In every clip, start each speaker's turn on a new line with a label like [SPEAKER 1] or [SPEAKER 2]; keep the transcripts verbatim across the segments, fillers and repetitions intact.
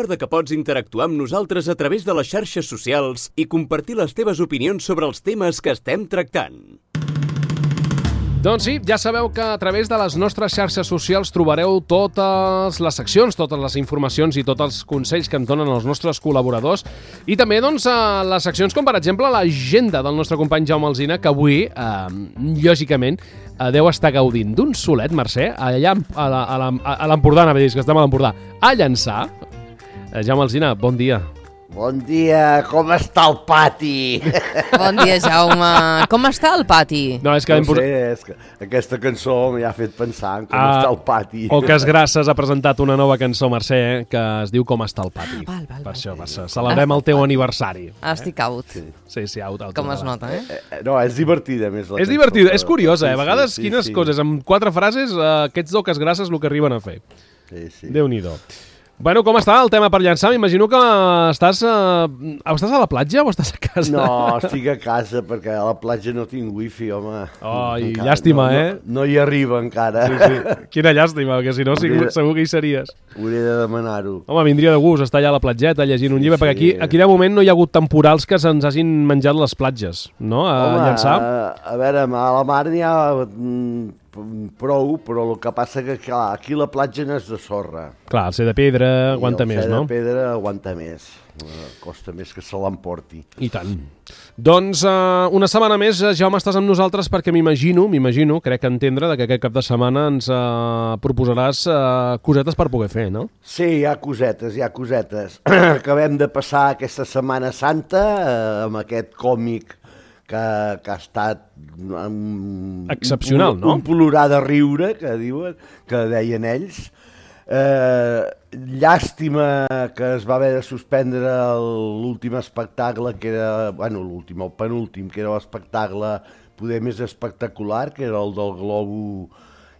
[SPEAKER 1] Recorda que pots interactuar amb nosaltres a través de les xarxes socials i compartir les teves opinions sobre els temes que estem tractant.
[SPEAKER 2] Doncs sí, ja sabeu que a través de les nostres xarxes socials trobareu totes les seccions, totes les informacions i tots els consells que ens donen els nostres col·laboradors i també doncs, les seccions com per exemple l'agenda del nostre company Jaume Alsina, que avui, eh, lògicament, eh, deu estar gaudint d'un solet, Mercè, allà a l'Empordà, anava a dir, que estem a l'Empordà, a Llançà. Eh, Jaume Alsina, bon dia.
[SPEAKER 3] Bon dia, com està el pati?
[SPEAKER 4] Bon dia, Jaume. Com està el pati?
[SPEAKER 2] No, és que
[SPEAKER 3] no sé, és que aquesta cançó m'hi ha fet pensar en com ah, està el pati.
[SPEAKER 2] O que Grasses ha presentat una nova cançó, Mercè, eh, que es diu Com està el pati.
[SPEAKER 4] Ah, val, val,
[SPEAKER 2] per
[SPEAKER 4] val.
[SPEAKER 2] això, per això. Celebrem el teu aniversari.
[SPEAKER 4] Estic out.
[SPEAKER 2] Sí, sí, sí out, out.
[SPEAKER 4] Com es nota, eh?
[SPEAKER 3] eh? No, és divertida, més la
[SPEAKER 2] És
[SPEAKER 3] cançó,
[SPEAKER 2] divertida,
[SPEAKER 3] però...
[SPEAKER 2] és curiosa, eh? A vegades,
[SPEAKER 3] sí, sí,
[SPEAKER 2] quines
[SPEAKER 3] sí.
[SPEAKER 2] coses, amb quatre frases, eh, aquests doques Grasses el que arriben a fer.
[SPEAKER 3] Sí, sí.
[SPEAKER 2] Déu-n'hi-do. Bueno, com està el tema per llançar? M'imagino que estàs, eh, estàs a la platja o estàs a casa?
[SPEAKER 3] No, estic a casa perquè a la platja no tinc wifi, home.
[SPEAKER 2] Ai, encara, llàstima,
[SPEAKER 3] no,
[SPEAKER 2] eh?
[SPEAKER 3] No, no hi arriba encara.
[SPEAKER 2] Sí, sí. Quina llàstima, perquè si no segur, segur que hi series.
[SPEAKER 3] Hauré de demanar-ho.
[SPEAKER 2] Home, vindria de gust estar allà a la platgeta llegint un llibre, sí, perquè aquí, aquí de moment no hi ha hagut temporals que se'ns hagin menjat les platges, no? A
[SPEAKER 3] Home,
[SPEAKER 2] llançar.
[SPEAKER 3] A, a veure, a la mar n'hi ha mm, prou, però el que passa que clar, aquí la platja no és de sorra.
[SPEAKER 2] Clar, el ser de pedra aguanta més, no?
[SPEAKER 3] El ser de pedra aguanta més. Costa més que se l'emporti.
[SPEAKER 2] I tant. Doncs uh, una setmana més, Jaume, estàs amb nosaltres perquè m'imagino, m'imagino, crec entendre, que aquest cap de setmana ens uh, proposaràs uh, cosetes per poder fer, no?
[SPEAKER 3] Sí, hi ha cosetes, hi ha cosetes. Acabem de passar aquesta Setmana Santa uh, amb aquest còmic que, que ha estat um,
[SPEAKER 2] excepcional,
[SPEAKER 3] un,
[SPEAKER 2] no?
[SPEAKER 3] Un plorar de riure, que diuen, que deien ells. Eh, llàstima que es va haver de suspendre l'últim espectacle, que era, bueno, l'últim, el penúltim, que era l'espectacle poder més espectacular, que era el del globo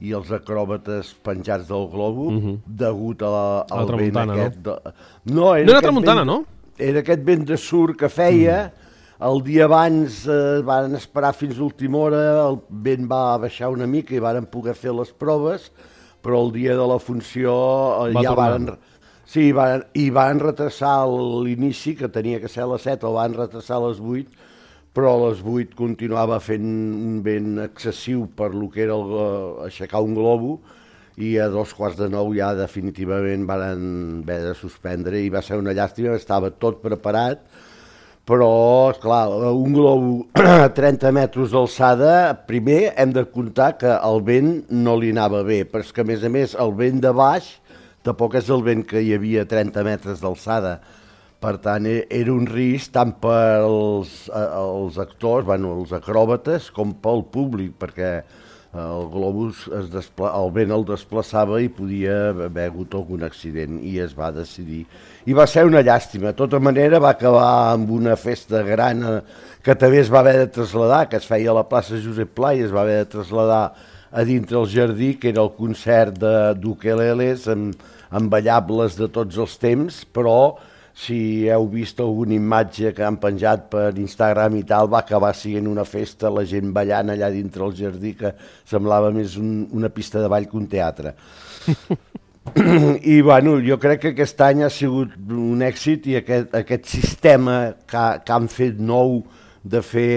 [SPEAKER 3] i els acròbates penjats del globo, uh-huh. degut a la, al
[SPEAKER 2] la vent aquest...
[SPEAKER 3] No, de... no, era,
[SPEAKER 2] no era tramuntana,
[SPEAKER 3] vent,
[SPEAKER 2] no?
[SPEAKER 3] Era aquest vent de surt que feia, mm. el dia abans eh, van esperar fins a última hora, el vent va baixar una mica i varen poder fer les proves, però el dia de la funció eh,
[SPEAKER 2] va
[SPEAKER 3] ja
[SPEAKER 2] tornar.
[SPEAKER 3] van... Sí, van, i van retrasar l'inici, que tenia que ser a les set, el van retrasar a les vuit, però a les vuit continuava fent un vent excessiu per lo que era el, aixecar un globo, i a dos quarts de nou ja definitivament van haver de suspendre, i va ser una llàstima, estava tot preparat, però, esclar, un globo a trenta metres d'alçada, primer hem de comptar que el vent no li anava bé, però és que, a més a més, el vent de baix tampoc és el vent que hi havia a trenta metres d'alçada. Per tant, era un risc tant pels els actors, bueno, els acròbates, com pel públic, perquè el globus, es despla... el vent el desplaçava i podia haver hagut algun accident, i es va decidir. I va ser una llàstima. De tota manera, va acabar amb una festa gran que també es va haver de traslladar, que es feia a la plaça Josep Pla, i es va haver de traslladar a dintre el jardí, que era el concert d'ukeleles amb, amb ballables de tots els temps, però si heu vist alguna imatge que han penjat per Instagram i tal, va acabar sent una festa, la gent ballant allà dintre el jardí, que semblava més un, una pista de ball que un teatre. I bueno, jo crec que aquest any ha sigut un èxit, i aquest, aquest sistema que, que han fet nou de fer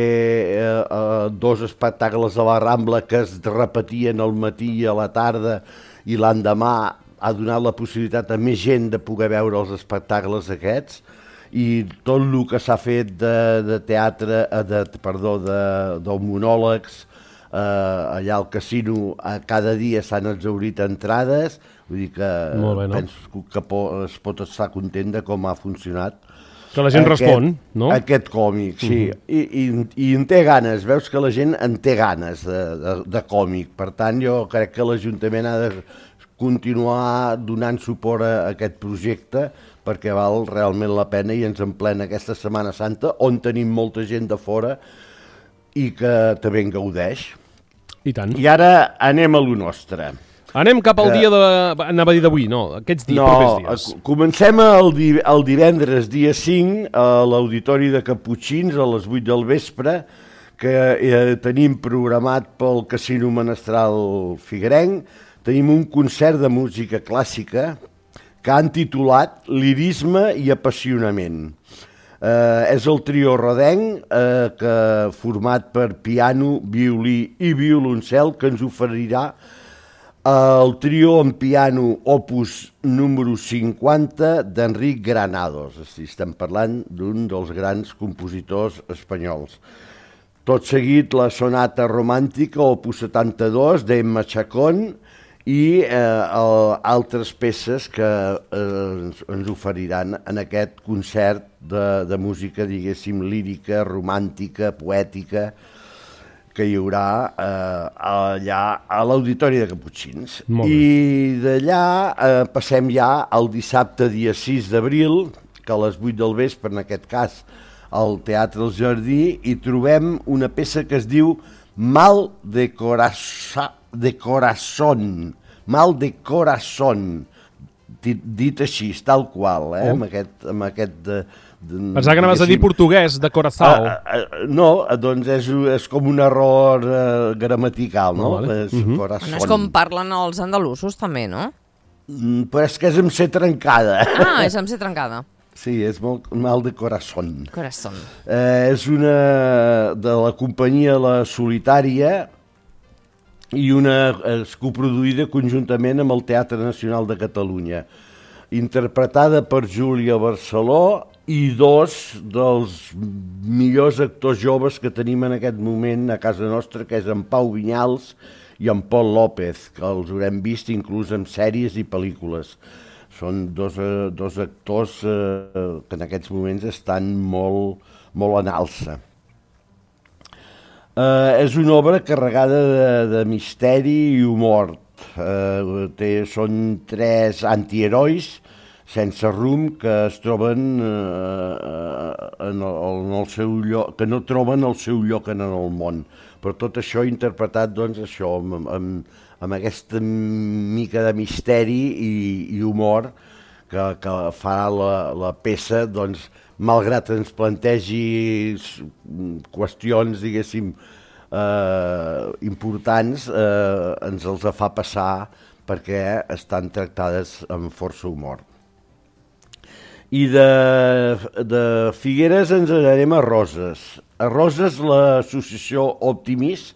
[SPEAKER 3] eh, eh, dos espectacles a la Rambla que es repetien al matí i a la tarda, i l'endemà ha donat la possibilitat a més gent de poder veure els espectacles aquests, i tot el que s'ha fet de, de teatre, de, perdó, de, de monòlegs, eh, allà al casino, a cada dia s'han exhaurit entrades, vull dir que
[SPEAKER 2] bé, no?
[SPEAKER 3] penso que po, es pot estar content de com ha funcionat.
[SPEAKER 2] Que la gent aquest, respon, no?
[SPEAKER 3] Aquest còmic, sí. Uh-huh. I, i, I en té ganes, veus que la gent en té ganes de, de, de còmic. Per tant, jo crec que l'Ajuntament ha de continuar donant suport a aquest projecte, perquè val realment la pena, i ens emplena aquesta Setmana Santa, on tenim molta gent de fora i que també en gaudeix.
[SPEAKER 2] I tant.
[SPEAKER 3] I ara anem a lo nostre.
[SPEAKER 2] Anem cap al que... dia de... Anava a dir d'avui, no, aquests dies,
[SPEAKER 3] no,
[SPEAKER 2] propers dies.
[SPEAKER 3] Comencem el, di... el divendres, dia cinc, a l'Auditori de Caputxins, a les vuit del vespre, que eh, tenim programat pel Casino Menestral Figuerenc. Tenim un concert de música clàssica, que han titulat Lirisme i apassionament. Eh, és el trio rodenc, eh, que, format per piano, violí i violoncel, que ens oferirà el trio en piano opus número cinquanta d'Enric Granados. Estem parlant d'un dels grans compositors espanyols. Tot seguit la sonata romàntica opus setanta-dos d'Emma Chacón i eh, altres peces que eh, ens, ens oferiran en aquest concert de, de música, diguéssim, lírica, romàntica, poètica, que hi haurà eh, allà a l'Auditori de Caputxins. I d'allà eh, passem ja al dissabte, dia sis d'abril, que a les vuit del vespre, en aquest cas, al Teatre El Jardí, hi trobem una peça que es diu Mal de Corazón, de Corazón, Mal de Corazón, dit, dit així, tal qual, eh? Oh. amb aquest... Amb aquest de, de,
[SPEAKER 2] Pensava que anaves a dir portuguès, de corazao.
[SPEAKER 3] Uh, uh, no, doncs és, és com un error uh, gramatical, no? Oh, vale. És, uh-huh.
[SPEAKER 4] No és com parlen els andalusos, també, no?
[SPEAKER 3] Mm, però és que és amb C trencada.
[SPEAKER 4] Ah, és amb C trencada.
[SPEAKER 3] Sí, és molt mal de corazón.
[SPEAKER 4] Corazón.
[SPEAKER 3] Eh, és una de la companyia La Solitària i una és coproduïda conjuntament amb el Teatre Nacional de Catalunya, interpretada per Júlia Barceló i dos dels millors actors joves que tenim en aquest moment a casa nostra, que és en Pau Vinyals i en Pol López, que els haurem vist inclús en sèries i pel·lícules. Són dos, eh, dos actors eh, que en aquests moments estan molt, molt en alça. Eh, és una obra carregada de, de misteri i humor. Eh, té, són tres antiherois sense rumb que es troben eh, en el, en el seu lloc, que no troben el seu lloc en el món. Però tot això interpretat, doncs, això, amb, amb, amb aquesta mica de misteri i, i humor que, que fa la, la peça, doncs, malgrat ens plantegi qüestions, diguéssim, eh, importants, eh, ens els fa passar perquè estan tractades amb força humor. I de, de Figueres ens anarem a Roses. A Roses l'associació Optimis,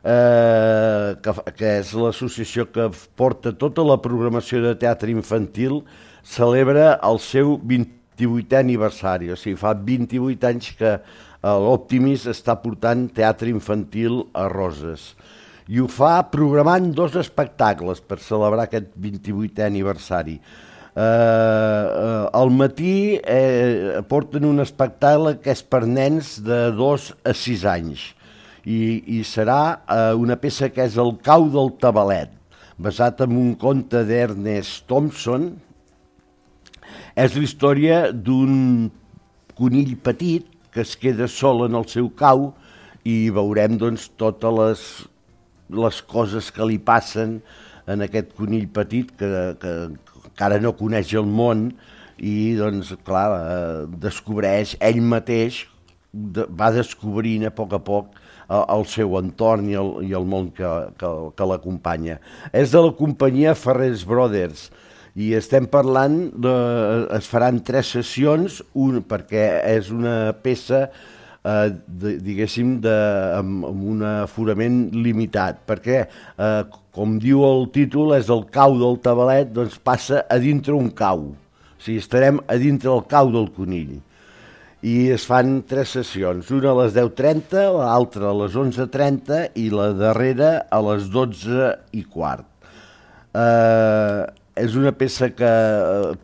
[SPEAKER 3] eh, que, que és l'associació que porta tota la programació de teatre infantil, celebra el seu vint-i-vuitè aniversari. O sigui, fa vint-i-vuit anys que l'Optimis està portant teatre infantil a Roses. I ho fa programant dos espectacles per celebrar aquest vint-i-vuitè aniversari. Uh, uh, al matí eh, porten un espectacle que és per nens de dos a sis anys i, i serà uh, una peça que és El cau del tabalet, basat en un conte d'Ernest Thompson. És la història d'un conill petit que es queda sol en el seu cau i veurem, doncs, totes les, les coses que li passen en aquest conill petit que, que encara no coneix el món i, doncs, clar, eh, descobreix ell mateix, de, va descobrint a poc a poc el, el seu entorn i el, i el món que, que, que l'acompanya. És de la companyia Farrés Brothers i estem parlant, de, es faran tres sessions, un, perquè és una peça eh, de, diguéssim, de, amb, amb un aforament limitat, perquè eh, com diu el títol, és el cau del tabalet, doncs passa a dintre un cau. O sigui, estarem a dintre el cau del conill. I es fan tres sessions, una a les deu trenta, l'altra a les onze trenta i la darrera a les dotze i quart. Eh, és una peça que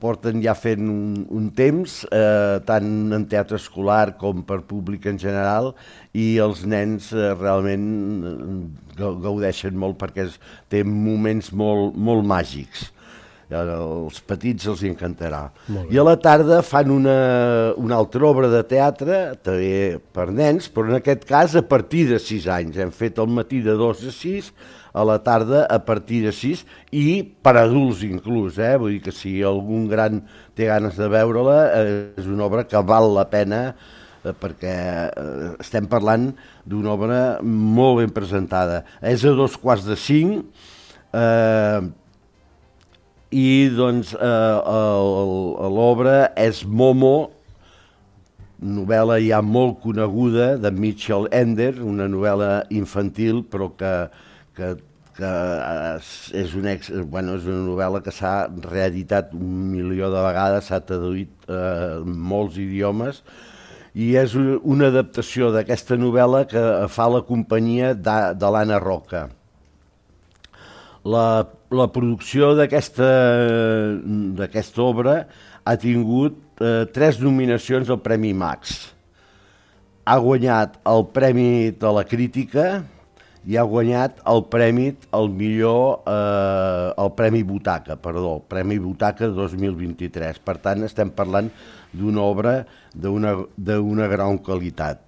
[SPEAKER 3] porten ja fent un, un temps, eh, tant en teatre escolar com per públic en general, i els nens eh, realment gaudeixen molt perquè es, té moments molt, molt màgics. Als petits els encantarà. I a la tarda fan una, una altra obra de teatre, també per nens, però en aquest cas a partir de sis anys. Hem fet al matí de dos a sis, a la tarda a partir de sis, i per adults inclús, eh? Vull dir que si algun gran té ganes de veure-la, eh, és una obra que val la pena, eh, perquè eh, estem parlant d'una obra molt ben presentada. És a dos quarts de cinc, eh, i doncs eh, l'obra és Momo, novel·la ja molt coneguda de Mitchell Ender, una novel·la infantil però que, que, que és, un ex, bueno, és una novel·la que s'ha reeditat un milió de vegades, s'ha traduït eh, en molts idiomes, i és una adaptació d'aquesta novel·la que fa la companyia de, de l'Anna Roca. La, la producció d'aquesta d'aquesta obra ha tingut eh, tres nominacions al Premi Max. Ha guanyat el Premi de la Crítica i ha guanyat el Premi al millor, eh, el Premi Butaca, perdó, Premi Butaca dos mil vint-i-tres. Per tant, estem parlant d'una obra d'una d'una gran qualitat.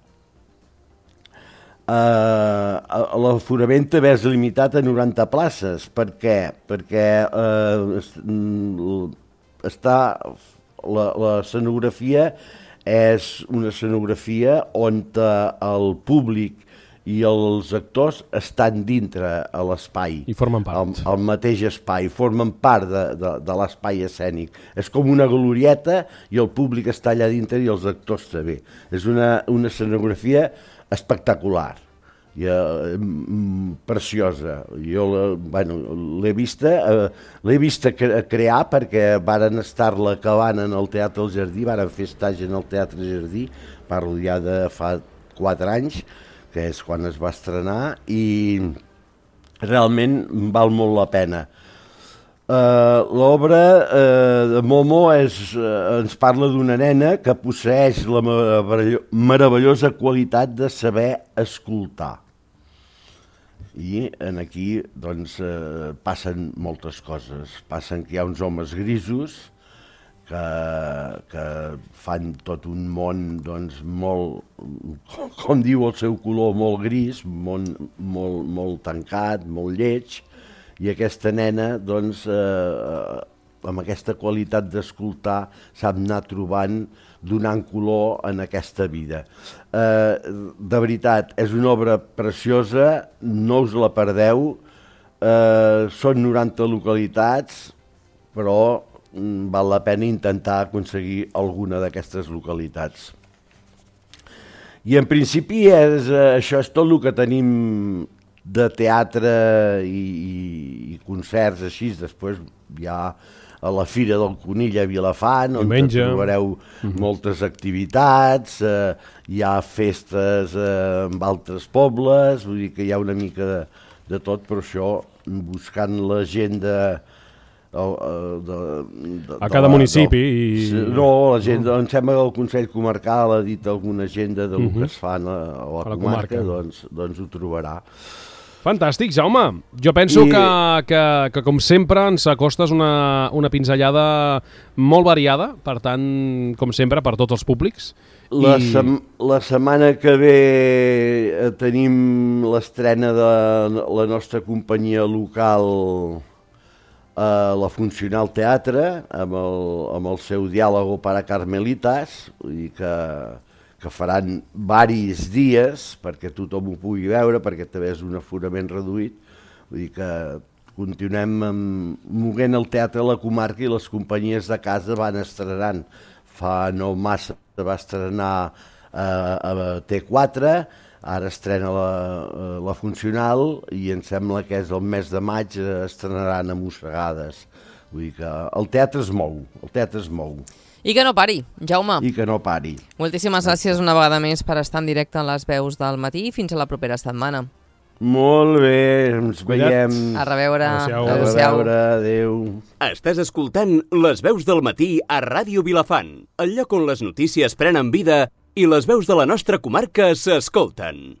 [SPEAKER 3] Uh, l'aforament també és limitat a noranta places. Per què? Perquè uh, està, la, la escenografia és una escenografia on el públic i els actors estan dintre a l'espai.
[SPEAKER 2] I formen part.
[SPEAKER 3] Al, al mateix espai, formen part de, de, de l'espai escènic. És com una glorieta i el públic està allà dintre i els actors també. És una, una escenografia espectacular, i, eh, preciosa. Jo bueno, l'he vista, eh, l'he vista cre crear perquè varen estar-la acabant en el Teatre del Jardí, varen fer estatge en el Teatre del Jardí, parlo ja de fa quatre anys, que és quan es va estrenar, i realment val molt la pena. Uh, L'obra uh, de Momo és, uh, ens parla d'una nena que posseeix la meravellosa qualitat de saber escoltar. I en aquí doncs, uh, passen moltes coses. Passen que hi ha uns homes grisos que, que fan tot un món doncs, molt, com, com diu el seu color, molt gris, molt, molt, molt tancat, molt lleig. I aquesta nena, doncs, eh, amb aquesta qualitat d'escoltar, sap anar trobant, donant color en aquesta vida. Eh, de veritat, és una obra preciosa, no us la perdeu, eh, són noranta localitats, però mm, val la pena intentar aconseguir alguna d'aquestes localitats. I en principi és, eh, això és tot el que tenim de teatre i, i, i concerts així. Després hi ha a la Fira del Conill a Vilafant, on
[SPEAKER 2] Diumenge.
[SPEAKER 3] trobareu mm-hmm. moltes activitats, eh, hi ha festes eh, en altres pobles, vull dir que hi ha una mica de, de tot, però això, buscant l'agenda de, de, de,
[SPEAKER 2] a cada
[SPEAKER 3] de la,
[SPEAKER 2] municipi.
[SPEAKER 3] del,
[SPEAKER 2] I...
[SPEAKER 3] No, l'agenda, em sembla que el Consell Comarcal ha dit alguna agenda del
[SPEAKER 2] Mm-hmm.
[SPEAKER 3] que es fa a la, a la,
[SPEAKER 2] A la
[SPEAKER 3] comarca,
[SPEAKER 2] comarca.
[SPEAKER 3] doncs, doncs ho trobarà.
[SPEAKER 2] Fantàstic, Jaume. Jo penso
[SPEAKER 3] I...
[SPEAKER 2] que, que, que, com sempre, ens acostes una, una pinzellada molt variada, per tant, com sempre, per tots els públics.
[SPEAKER 3] La,
[SPEAKER 2] I...
[SPEAKER 3] sem la setmana que ve eh, tenim l'estrena de la nostra companyia local a la Funcional Teatre, amb el, amb el seu diàlogo para Carmelitas, vull dir que que faran varis dies perquè tothom ho pugui veure, perquè també és un aforament reduït. Vull dir que continuem movent el teatre a la comarca i les companyies de casa van estrenant. Fa no massa va estrenar a, a T quatre, ara estrena la, la Funcional i em sembla que és el mes de maig estrenaran a Mossegades. Vull dir que el teatre es mou, el teatre es mou.
[SPEAKER 4] I que no pari, Jaume.
[SPEAKER 3] I que no pari.
[SPEAKER 4] Moltíssimes gràcies una vegada més per estar en directe en les veus del matí i fins a la propera setmana.
[SPEAKER 3] Molt bé, ens
[SPEAKER 2] Cuida't.
[SPEAKER 3] veiem.
[SPEAKER 4] A reveure.
[SPEAKER 2] Adéu-siau.
[SPEAKER 3] A reveure, adéu.
[SPEAKER 1] Estàs escoltant Les veus del matí a Ràdio Vilafant, el lloc on les notícies prenen vida i les veus de la nostra comarca s'escolten.